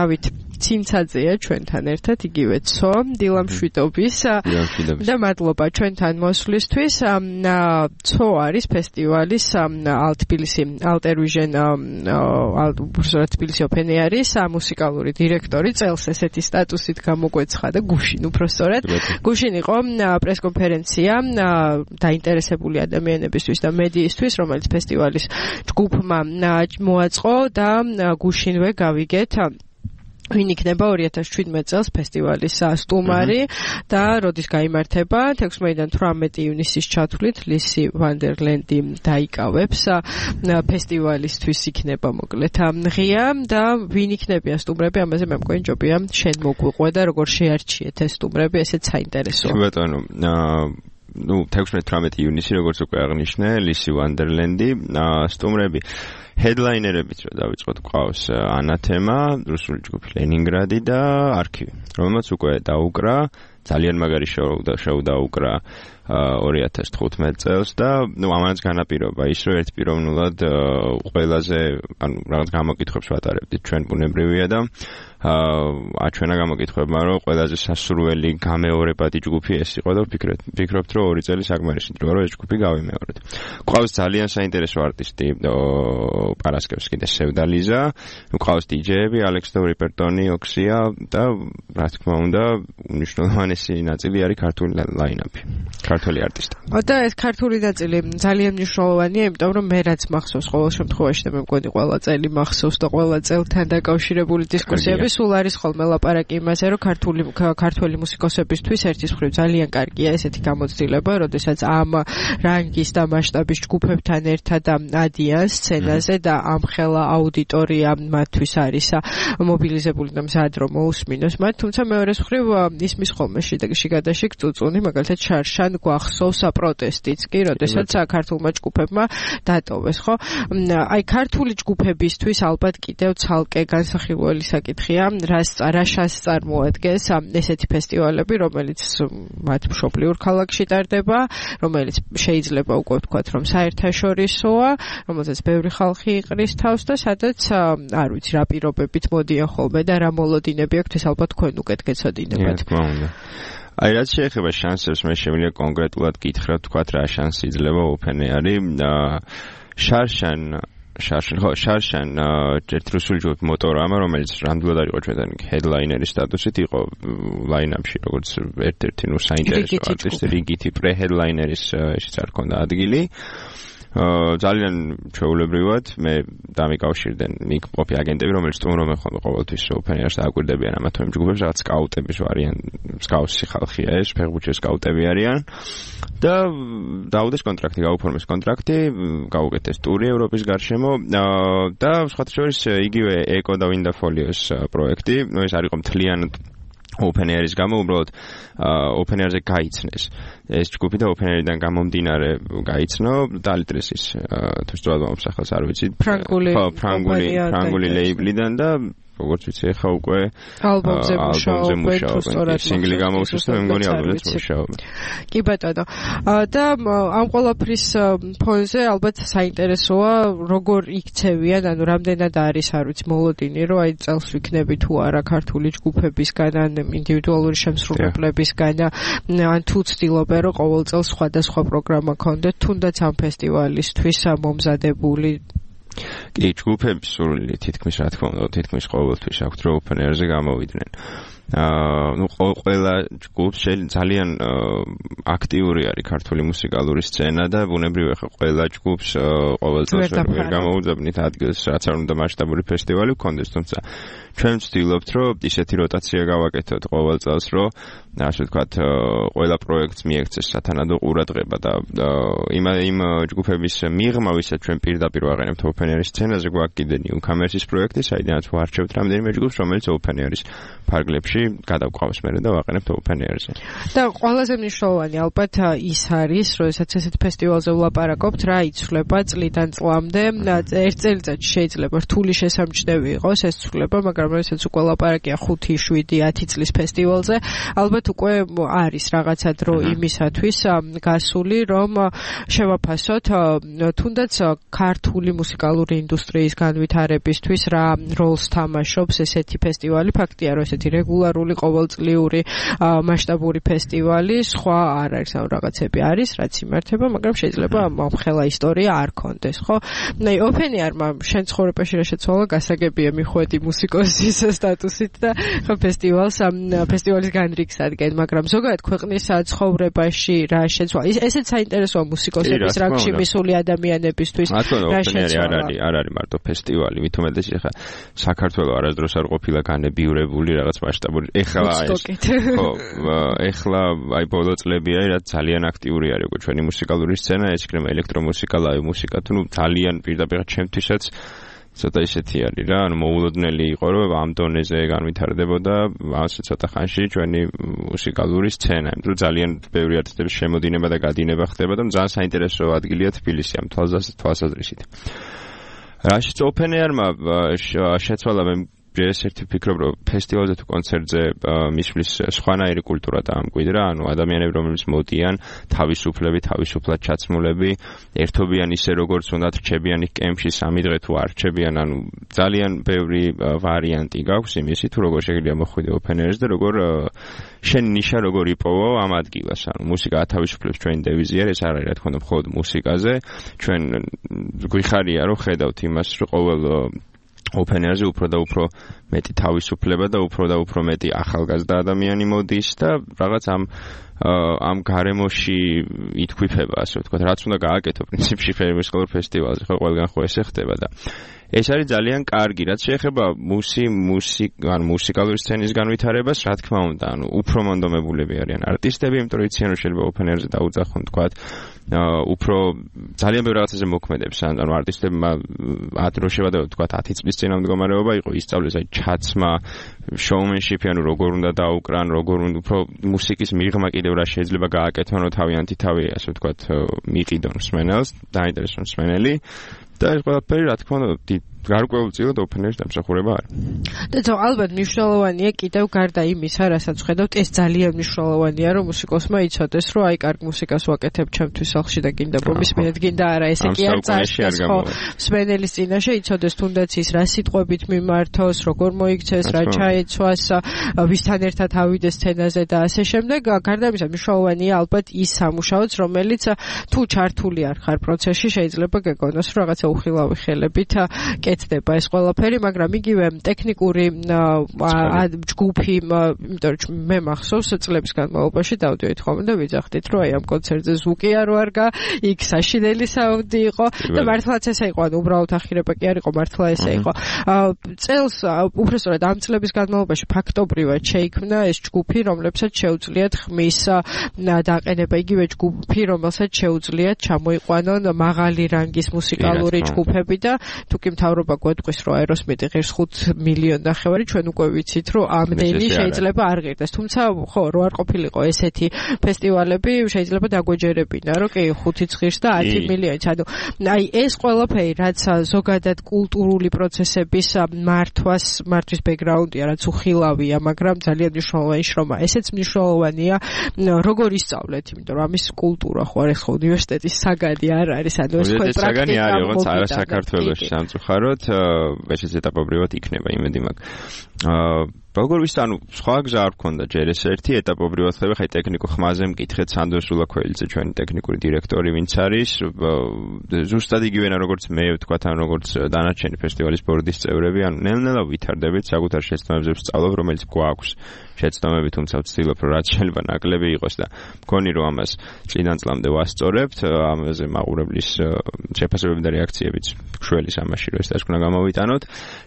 დავით ცინცაძეა ჩვენთან ერთად, იგივე ცო, დილამშვიდობის და მადლობა ჩვენთან მოსვლისთვის. ცო არის ფესტივალის თბილისი Alter Vision თბილისი Open Air-ის მუსიკალური დირექტორი, წელს ესეთი სტატუსით გამოგვეცხადა და გუშინ უბრალოდ გუშინ იყო პრესკონფერენცია დაინტერესებული ადამიანებისთვის და მედიისთვის, რომელიც ფესტივალის ჯგუფმა მოაწყო და გუშინვე გავიგეთ ვინ იქნება 2017 წელს ფესტივალის სტუმარი და როდის გაიმართება 16-დან 18 ივნისის ჩათვლით ლისი ვანდერლენდი დაიკავებს ფესტივალისთვის იქნება მოკლედ ღია და ვინ იქნებიან სტუმრები ამაზე მე მგონი ჯობია შენ მოგვიყვე და როგორ შეარჩიეთ ეს სტუმრები ესეც საინტერესოა. ბატონო 16-18 ივნისი როგორც უკვე აღნიშნე ლისი ვანდერლენდი სტუმრები headlinerებიც რომ დავიწყოთ ყავს ანათემა, რუსული ჯგუფი ლენინგრადი და არქივი, რომელმაც უკვე დაუკრა ძალიან მაგარი შოუ დაუკრა 2015 წელს და ამანაც განაპირობა ის რომ ერთპიროვნულად ყველაზე რაღაც გამოკითხვებს ვატარებდით ჩვენ ბუნებრივია და აჩვენა გამოკითხვებმა რომ ყველაზე სასურველი გამეორებადი ჯგუფი ეს იყო და ვფიქრობთ რომ 2 წელი საკმარისი დროა რომ ეს ჯგუფი გავიმეორეთ. ყავს ძალიან საინტერესო არტისტი პარასკევსკი და სევდალიზა, ყავს დიჯეები ალექს და რიპერტონი, ოქსია და რა თქმა უნდა უნიშნულოვანესი ნაწილი არის ქართული ლაინაპი. ქართული არტისტი. და ეს ქართული ნაწილი ძალიან მნიშვნელოვანია, იმიტომ რომ მე რაც მახსოვს ყოველ შემთხვევაში და მე მგონი ყველა წელი მახსოვს და ყველა წელთან დაკავშირებული დისკუსიები სულ არის ხოლმე ლაპარაკი იმაზე, რომ ქართული მუსიკოსებისთვის ერთის მხრივ ძალიან კარგია ესეთი გამოცდილება, როდესაც ამ რანგის და მასშტაბის ჯგუფებთან ერთად ადიან სცენაზე და ამხელა აუდიტორია მათთვის არის მობილიზებული და მზად რომ მოусმინოს მათ, თუმცა მეორეს მხრივ ისმის ხოლმე შიგადაშიგ წუწუნი, მაგალითად შარშან გვახსოვს პროტესტიც კი, როდესაც ქართულმა ჯგუფებმა დატოვეს, ხო? აი ქართული ჯგუფებისთვის ალბათ კიდევ ცალკე განსახილველი საკითხია, რა შანსს წარმოადგენს ესეთი ფესტივალები, რომელიც მათ მშობლიურ ქალაქში ტარდება, რომელიც შეიძლება უკვე ვთქვათ, რომ საერთაშორისოა, რომელსაც ბევრი ხალხი იყრის თავს და სადაც არ ვიცი რა პირობებით მოდიან ხოლმე და რა მოლოდინები აქვთ, ეს ალბათ თქვენ უკეთ გეცოდინებათ. რა თქმა უნდა. აი რაც შეეხება შანსებს, მე შემიძლია კონკრეტულად გითხრათ, თქვათ რა შანსი იძლევა Open Air-ი შარშან ერთ რუსული ჯგუფი მოტორამა, რომელიც რამდვილად არ იყო ჩვენთან headlineris სტატუსით, იყო line-up-ში როგორც ერთ-ერთი საინტერესო არტისტი, რიგითი pre-headlineris ესეც არ ქონდა ადგილი. ძალიან ჩვეულებრივად მე დამიკავშირდნენ იქ ყოფილი აგენტები, რომელიც სტუმრობენ ხოლმე ყოველთვის Open Air-ს დააკვირდებიან ამა თუ იმ ჯგუფებს, რაღაც სკაუტების ვარიან, მსგავსი ხალხია ეს, ფეხბურთის სკაუტები არიან და დაუდეს კონტრაქტი, გაუფორმეს კონტრაქტი, გაუკეთეს ტური ევროპის გარშემო და სხვათა შორის იგივე ეკო და ვინდაფოლიოს პროექტი, ეს არ იყო მთლიანად Open Air-ის გამო უბრალოდ Open Air-ზე გაიცნეს ეს ჯგუფი და Open Air-დან გამომდინარე გაიცნო დალიტრესის თუ სწორად მომსახელს არ ვიცი ფრანგული ლეიბლიდან და როგორც ვიცი ახლა უკვე ალბომზე მუშაობენ, სინგლი გამოუშვა და მე მგონი ალბომზეც მუშაობენ. კი ბატონო. და ამ ყველაფრის ფონზე ალბათ საინტერესოა როგორ იქცევიან, ანუ რამდენად არის არ ვიცი მოლოდინი, რომ აი წელს ვიქნები თუ არა ქართული ჯგუფებისგან ან ინდივიდუალური შემსრულებლებისგან ან თუ ცდილობენ რომ ყოველ წელს სხვადასხვა პროგრამა ქონდეთ, თუნდაც ამ ფესტივალისთვის მომზადებული კი ჯგუფების სურვილი თითქმის რა თქმა უნდა თითქმის ყოველთვის აქვთ რომ Open Air-ზე გამოვიდნენ. ყველა ჯგუფს ძალიან აქტიური არის ქართული მუსიკალური სცენა და ბუნებრივია ხა ყველა ჯგუფს ყოველ წელს ვერ გამოუძებნით ადგილს რაც არ უნდა მასშტაბური ფესტივალი გქონდეს, თუმცა ჩვენ ვცდილობთ რომ ისეთი როტაცია გავაკეთოთ ყოველ წელს რომ ასე ვთქვათ ყველა პროექტს მიექცეს სათანადო ყურადღება და იმ ჯგუფების მიღმა ვისაც ჩვენ პირდაპირ ვაყენებთ Open Air-ის სცენაზე გვაქვს კიდე Newcomers-ის პროექტი, საიდანაც ვარჩევთ რამდენიმე ჯგუფს, რომელიც Open Air-ის ფარგლებში გადავყავს მერე და ვაყენებთ Open Air-ზე. და ყველაზე მნიშვნელოვანი ალბათ ის არის, როდესაც ესეთ ფესტივალზე ვლაპარაკობთ, რა იცვლება წლიდან წლამდე, ერთ წელიწადში შეიძლება რთული შესამჩნევი იყოს ეს ცვლილება, მაგრამ მაგრამ ესეც უკვე ლაპარაკია 5-7-10 წლის ფესტივალზე. ალბათ უკვე არის რაღაცა დრო იმისათვის გასული, რომ შევაფასოთ თუნდაც ქართული მუსიკალური ინდუსტრიის განვითარებისთვის რა როლს თამაშობს ესეთი ფესტივალი. ფაქტია, რომ ესეთი რეგულარული ყოველწლიური მასშტაბური ფესტივალი სხვა არ არის, ან რაღაცები არის, რაც იმართება, მაგრამ შეიძლება მომხელა ისტორია არ კონდეს, ხო? ოფენიარმა შენ ცხოვრებაში რა შეცვალა, გასაგებია მიხვედი მუსიკოსის სტატუსით და ხო ფესტივალის განრიგს ადგენ, მაგრამ ზოგადად ქვეყნის ცხოვრებაში რა შეცვალა? ესეც საინტერესოა მუსიკოსების რანგში მისული ადამიანებისთვის. რა შეცვალა? არ არის მარტო ფესტივალი, მით უმეტეს ახლა საქართველოს არასდროს არ ყოფილა განებიურებული რაღაც მასშტაბური. ეხლა აი ბოლო წლებია რაც ძალიან აქტიური არის უკვე ჩვენი მუსიკალური სცენა, ეს იქნება ელექტრომუსიკა, ლაივ მუსიკა, თუ ძალიან პირდაპირ ჩემთვისაც ცოტა ისეთი არის რა, ანუ მოულოდნელი იყო, რომ ამ დონეზე განვითარდებოდა ასე ცოტა ხანში ჩვენი მუსიკალური სცენა. იმიტომ ძალიან ბევრი არტისტების შემოდინება და გადინება ხდება და ძალიან საინტერესო ადგილია თბილისი ამ თვალსაზრისით. რაშიც ოფენერმა შეცვალა მე ერთ-ერთი ფიქრობ, რომ ფესტივალზე თუ კონცერტზე მისვლის სხვანაირი კულტურა დაამკვიდრა, ანუ ადამიანები, რომლებიც მოდიან, თავისუფლად ჩაცმულები, ერთობიან ისე როგორც უნდათ, რჩებიან იქ კემპში 3 დღე თუ არ რჩებიან, ანუ ძალიან ბევრი ვარიანტი გაქვს იმისი, თუ როგორ შეიძლება მოხვიდე ოფენერს და როგორ შენ ნიშა როგორ იპოვო ამ ადგილას, ანუ მუსიკა ათავისუფლებს ჩვენი დევიზია, ეს არ არის რა თქმა უნდა მხოლოდ მუსიკაზე, ჩვენ გვიხარია რომ ხედავთ იმას, რომ ყოველ ოფენერზე უფრო და უფრო მეტი თავისუფლება და უფრო მეტი ახალგაზრდა ადამიანი მოდის და რაღაც ამ გარემოში ითქვიფება, ასე ვთქვათ, რაც უნდა გააკეთო პრინციპში მუსიკალურ ფესტივალზე, ხო ყველგან ხო ესე ხდება და ეს არის ძალიან კარგი, რაც შეეხება მუსიკალური სცენის განვითარებას, რა თქმა უნდა, ანუ უფრო მონდომებულები არიან არტისტები, იმიტომ რომ იციან რომ შეიძლება ოფენერზე დაუძახონ, თქვათ, უფრო ძალიან ბევრ რაღაცაზე მოქმედებს, ანუ არტისტებმა რო შევადეოთ, თქვათ, 10 წლის წინა მდგომარეობა იყო, ისწავლეს აი ჩაცმა, შოუმენშიპი, ანუ როგორ უნდა დაუკრან, როგორ უნდა უფრო მუსიკის მიღმა კიდევ რა შეიძლება გააკეთონ, რომ თავიანთი თავი, ასე ვთქვათ, მიყიდონ მსმენელს, დაინტერესონ მსმენელი. და ეს ყველაფერი რა თქმა უნდა გარკვეულწილად ოფენერის დამსახურება არის. და ალბათ მნიშვნელოვანია კიდევ გარდა იმისა, რასაც ხედავთ, ეს ძალიან მნიშვნელოვანია, რომ მუსიკოსმა იცოდეს, რომ აი კარგ მუსიკას ვაკეთებ ჩემთვის სახლში და გინდა მომისმენთ, გინდა არა, ესე კი არ წარსდეს, ხო? მსმენელის წინაშე იცოდეს თუნდაც ის რა სიტყვებით მიმართოს, როგორ მოიქცეს, რა ჩაეცვას, ვისთან ერთად ავიდეს სცენაზე და ასე შემდეგ. გარდა ამისა მნიშვნელოვანია ალბათ ის სამუშაოც, რომელიც თუ ჩართული არ ხარ პროცესში, შეიძლება გეგონოს, რომ რაღაცა უხილავი ხელებით დება ეს ყველაფერი, მაგრამ იგივე ტექნიკური ჯგუფი, იმიტომ რომ მე მახსოვს წლების განმავლობაში დავდივით ხოლმე და ვიძახდით, რომ აი ამ კონცერტზე ზუკი არ ვარგა, იქ საშინელი საუნდი იყო და მართლაც ესე იყო, ანუ უბრალოდ ახირება კი არ იყო, მართლა ესე იყო. წელს უბრალოდ ამ წლების განმავლობაში ფაქტობრივად შეიქმნა ეს ჯგუფი, რომლებსაც შეუძლიათ ხმის დაყენება, იგივე ჯგუფი, რომელსაც შეუძლიათ ჩამოიყვანონ მაღალი რანგის მუსიკალური ჯგუფები და თუ კი მთავრობა გვეტყვის, რომ აეროსმიტი ღირს 5 მილიონი ნახევარი, ჩვენ უკვე ვიცით, რომ ამდენი შეიძლება არ ღირდეს. თუმცა, ხო, რო არ ყოფილიყო ესეთი ფესტივალები, შეიძლება დაგვეჯერებინა, რომ კი 5-იც ღირს და 10 მილიონიც. ანუ აი ეს ყველაფერი, რაც ზოგადად კულტურული პროცესების მართვის ბექგრაუნდია, რაც უხილავია, მაგრამ ძალიან მნიშვნელოვანი შრომა. ესეც მნიშვნელოვანია, როგორ ისწავლეთ, იმიტომ რომ ამის კულტურა ხო არის ხო უნივერსიტეტის საგანი არ არის, ანუ ეს ხო პრაქტიკა საგანი არის, როგორც არა საქართველოში სამწუხაროდ ეს ეტაპობრივად იქნება იმედი მაქვს. როგორ ვიცი, ანუ სხვა გზა არ მქონდა ჯერ ეს ერთი ეტაპობრივად ხდება, ხაი ტექნიკურ ხმაზე მკითხეთ სანდროს ულაქველიძე, ჩვენი ტექნიკური დირექტორი, ვინც არის, ზუსტად იგივენა როგორც მე ვთქვათ, ან როგორც დანარჩენი ფესტივალის ბორდის წევრები, ანუ ნელ-ნელა ვითარდებით, საკუთარ შეცდომებზე ვსწავლობ, რომელიც გვაქვს შეცდომები, თუმცა ვცდილობ, რომ რაც შეიძლება ნაკლები იყოს და მგონი, რომ ამას წლიდან წლამდე ვასწორებთ, ამაზე მაყურებლის შეფასებები და რეაქციებიც შველი ამაში, რომ ეს დასკვნა გამოვიტანოთ.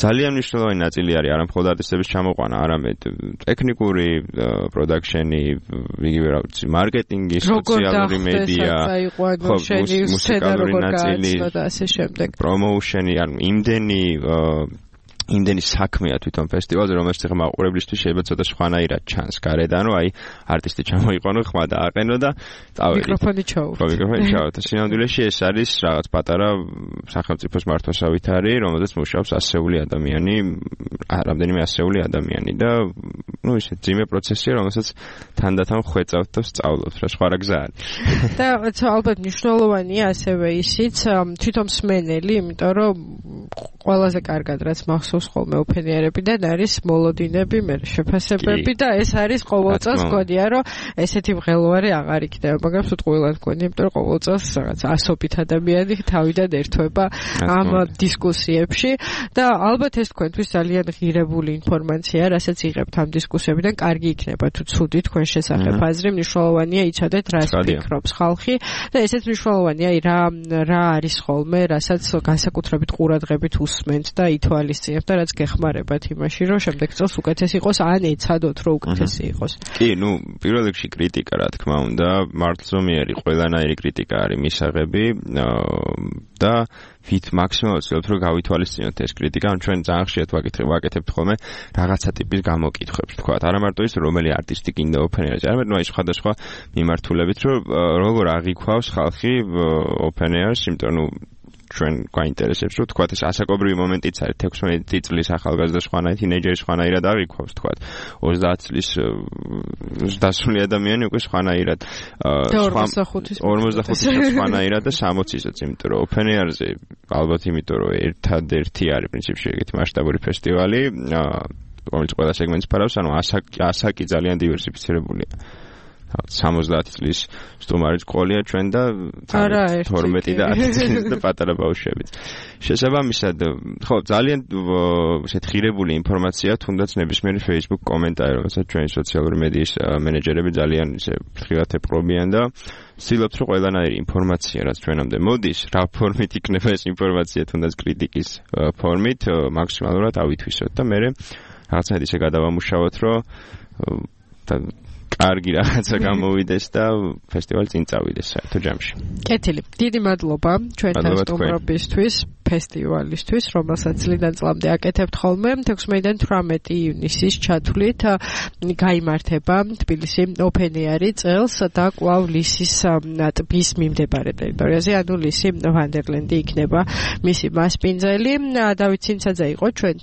ძალიან მნიშვნელოვანი ნაწილი არის არა მხოლოდ არტისტების ჩამოყვანა, არამედ ტექნიკური პროდაქშენი, იგივე რა ვიცი, მარკეტინგი, სოციალური მედია, მუსიკალური ნაწილი და ასე შემდეგ. პრომოუშენი, ანუ იმდენი იმდენი საქმეა თვითონ ფესტივალზე, რომელშიც ახლა მაყურებლისთვის შეიძლება ცოტა სხვანაირად ჩანს გარედან, რომ აი არტისტი ჩამოიყენო, ხმა დააყენო და წავედი. მიკროფონი ჩაუვრო. მიკროფონი ჩაუვრო. სინამდვილეში ეს არის რაღაც პატარა სახელმწიფოს მართვასავით არის, რომელზეც მუშაობს ასეული ადამიანი, რამდენიმე ასეული ადამიანი და ну ისე ძიმე პროცესია, რომელსაც თანდათან ხვეწავთ და სწავლობთ, რა სხვა რა გზა არის. და ალბათ მნიშვნელოვანია ასევე ისიც თვითონ მსმენელი, იმიტომ რომ ყველაზე კარგად რაც მახსოვს ხოლმე ოფენერებიდან არის მოლოდინები, მე შეფასებები და ეს არის ყოველწელს გონია რომ ესეთი მღელვარი აღარ იქნება, მაგრამ სიტყვილად გონია, იმიტომ რომ ყოველწელს რაღაც ასობით ადამიანი თავიდან ერთვება ამ დისკუსიებში და ალბათ ეს თქვენთვის ძალიან ღირებული ინფორმაცია, რასაც იღებთ ამ დისკუსიებიდან, კარგი იქნება თუ ცუდი თქვენ შესახებ აზრი, მნიშვნელოვანია იცოდეთ რას ფიქრობს ხალხი და ესეც მნიშვნელოვანია რა არის ხოლმე, რასაც განსაკუთრებით ყურადღებით უსმენთ და ითვალისწინებთ და რაც გეხმარებათ იმაში, რომ შემდეგ წელს უკეთეს იყოს, ან ეცადოთ, რომ უკეთესი იყოს. კი, ну, პირველ რიგში კრიტიკა, რა თქმა უნდა, მართლზომიერი ყველანაირი კრიტიკა არის მისაღები და ვით მაქსიმალურად ვცდილობთ, რომ გავითვალისწინოთ ეს კრიტიკა, ან ჩვენ ძალიან ხშირად ვაკეთებთ ხოლმე რაღაცა ტიპის გამოკითხვებს, თქვა. არა მარტო ის, რომელი არტისტი გინდა ოფენერზე, არამედ ნუ აი სხვადასხვა მიმართულებით, რომ როგორ აღიქვავს ხალხი ოფენერს, იმიტომ რომ ჩვენ გვაინტერესებს, რომ თქვა ეს ასაკობრივი მომენტიც არის 16 წლის ახალგაზრდა სხვანაირად, თინეიჯერი სხვანაირად აღიქვავს, თქვა 30 წლის დასული ადამიანი უკვე სხვანაირად 45 წლის სხვანაირად და 60-ისაც, იმიტომ რომ ოფენერზე ალბათ იმიტომ რომ ერთადერთი არის პრინციპში ეგეთი მასშტაბური ფესტივალი, რომელიც ყველა სეგმენტს ფარავს, ანუ ასაკი ძალიან დივერსიფიცირებულია. 70 წლის სტუმარიც ყოლია ჩვენ და 12 და 10 წლის და პატარა ბავშვებიც. შესაბამისად, ხო, ძალიან ესეთ ღირებული ინფორმაცია, თუნდაც ნებისმიერი Facebook კომენტარი, რომელსაც ჩვენი სოციალური მედიის მენეჯერები ძალიან ისე ფრთხილად ეპყრობიან და ვცდილობთ, რომ ყველანაირი ინფორმაცია, რაც ჩვენამდე მოდის, რა ფორმით იქნება ეს ინფორმაცია, თუნდაც კრიტიკის ფორმით, მაქსიმალურად ავითვისოთ და მე რაღაცნაირად ისე გადავამუშავოთ, რომ კარგი რაღაცა გამოვიდეს და ფესტივალი წინ წავიდეს საერთო ჯამში. კეთილი. დიდი მადლობა ჩვენთან სტუმრობისთვის, ფესტივალისთვის, რომელსაც წლიდან წლამდე აკეთებთ ხოლმე. 16-დან 18 ივნისის ჩათვლით გაიმართება თბილისი ოფენერი წელს და კვლავ ლისის ტბის მიმდებარე ტერიტორიაზე, ანუ ლისი ვანდერლენდი იქნება მისი მასპინძელი. დავით ცინცაძე იყო ჩვენთან.